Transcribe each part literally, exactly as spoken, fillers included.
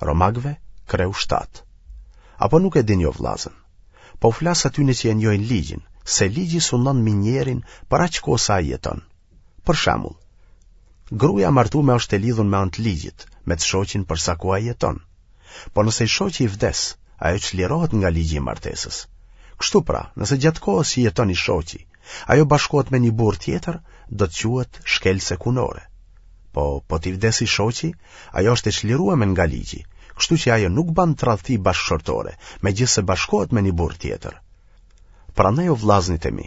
Romakëve, kreu shtatë. Apo nuk e dini o vllazën? Po u flas atyne që e njohin ligjin, se ligji sundon mbi njerin për aq kohë sa ai jeton. Për shembull, gruaja e martume është e lidhun me anë të ligjit, me të shoqin për sa kohë ai jeton. Po nëse i shoqi i vdes, ajo çlirohet nga ligji i martesës. Kështu pra, nëse gjatë kohës që jeton i shoqi, ajo bashkohet me një burrë tjetër, do të quhet shkelëse kunore. Po, po t'i vdes i shoqi, ajo është e çlirueme nga ligji, kështu që ajo nuk ban tradhti bashkëshortore, megjithëse bashkohet me një burrë tjetër. Prandaj o vllaznit e mi,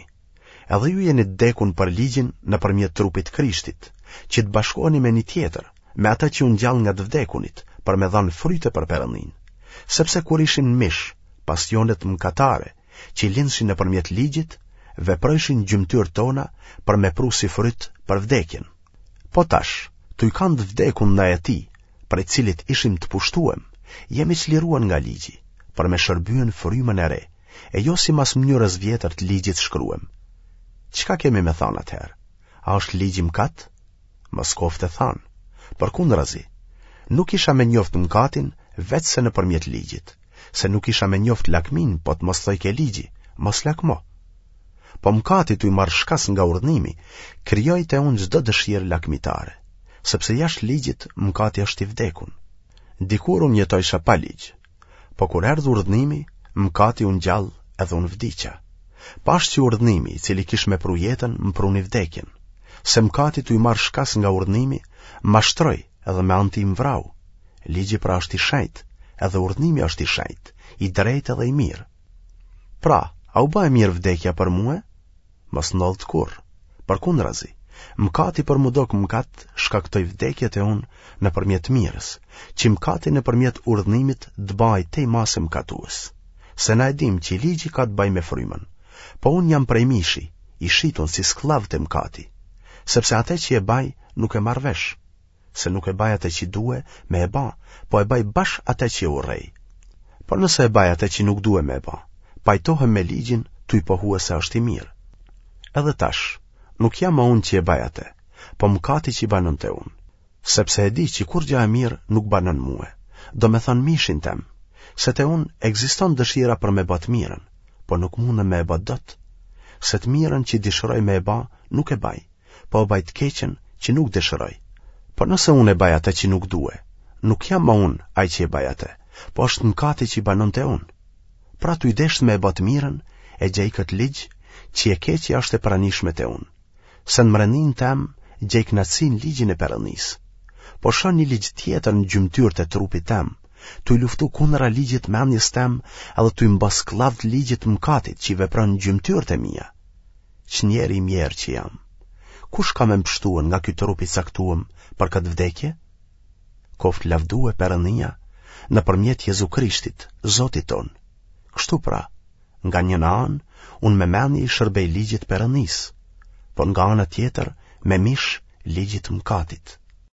edhe ju jeni të dekun për ligjin nëpërmjet trupit Krishtit, që të bashkoheni me një tjetër, me atë që u ngjall nga të vdekunit, për me dhanë fryte për Perëndinë. Sepse kur ishim në mish, pasionet mëkatare, që lindshin nëpërmjet ligjit, veprojshin n'gjymtyrët tona për me pru si fryt për vdekjen. Po tash, tuj kanë të vdekun ndaj atij, prej cilit ishim të pushtuem, jemi çliruar nga ligji, për me shërbyen frymën e re, e jo simas mënyrës vjetër të ligjit shkruem. Çka kemi me thanë atëherë? A është ligji mëkat? Mos koftë e thanë. Përkundrazi, nuk isha me njoft mëkatin veçse nëpërmjet ligjit, se nuk isha me njoft lakminë po të mos thojke ligji, mos lakmo. Po mëkati tuj marrë shkas nga urdhnimi, krijoi te unë çdo dëshirë lakmitare, sepse jashtë ligjit mëkati është i vdekun. Dikur unë jetojsha pa ligj, po kur erdh urdhnimi, mëkati u ngjall edhe unë vdiqa. Pashë që urdhnimi, i cili kish me pru jetën, më pruni vdekjen. Se mëkati tuj marrë shkas nga urdhnimi, mashtroi edhe me anë tij më vrau. Ligji pra është i shenjtë, edhe urdhnimi është i shenjtë, i drejtë edhe i mirë. Pra, a u ba e mirë vdekja për mue? Mos ndodhtë kurrë. Përkundrazi, mëkati për m'u dok mëkat shkaktoi vdekje te unë nëpërmjet të mirës, që mëkati nëpërmjet urdhnimit të bahej tej mase mëkatues. Se na e dimë që ligji ka të bajë me frymën, po unë jam prej mishi, i shitun si skllav te mëkati, sepse atë që e baj nuk e marr vesh, se nuk e baj atë që due me e ba, po e baj bash atë që e urrej. Por nëse e baj atë që nuk due me e ba, pajtohem me ligjin tuj pohue se është i mirë. Edhe tash, nuk jam ma unë që e baj atë, po mëkati që banon te unë. Sepse e di që kurgja e mirë nuk banon mue, domethënë mishin tem, se te unë ekziston dëshira për me ba të mirën, po nuk mundem me e ba dot. Se të mirën që dëshiroj me e ba, nuk e baj, po e baj të keqen që nuk dëshiroj. Por nëse unë e baj atë që nuk due, nuk jam ma unë ai që e baj atë, po është mëkati që banon te unë. Pra tuj deshtë me e ba të mirën, e gjej këtë ligj, që e keqja është e pranishme te unë. Se në mrendinë tem gjej kënaqësi në ligjin e Perëndisë. Po shoh një ligj tjetër në gjymtyrët e trupit tem, tuj luftu kundra ligjit mendjes tem edhe tuj më ba skllav të ligjit të mëkatit që vepron në gjymtyrët e mia. Ç'njeri i mjerë që jam. Kush ka me m'pshtue nga ky trup i caktuem për këtë vdekje? Koftë lavdue Perëndia nëpërmjet Jezu Krishtit, Zotit tonë. Kështu pra, nga njëna anë, unë me mendje i shërbej ligjit Perëndisë, por nga ana tjetër me mish ligjit mëkatit.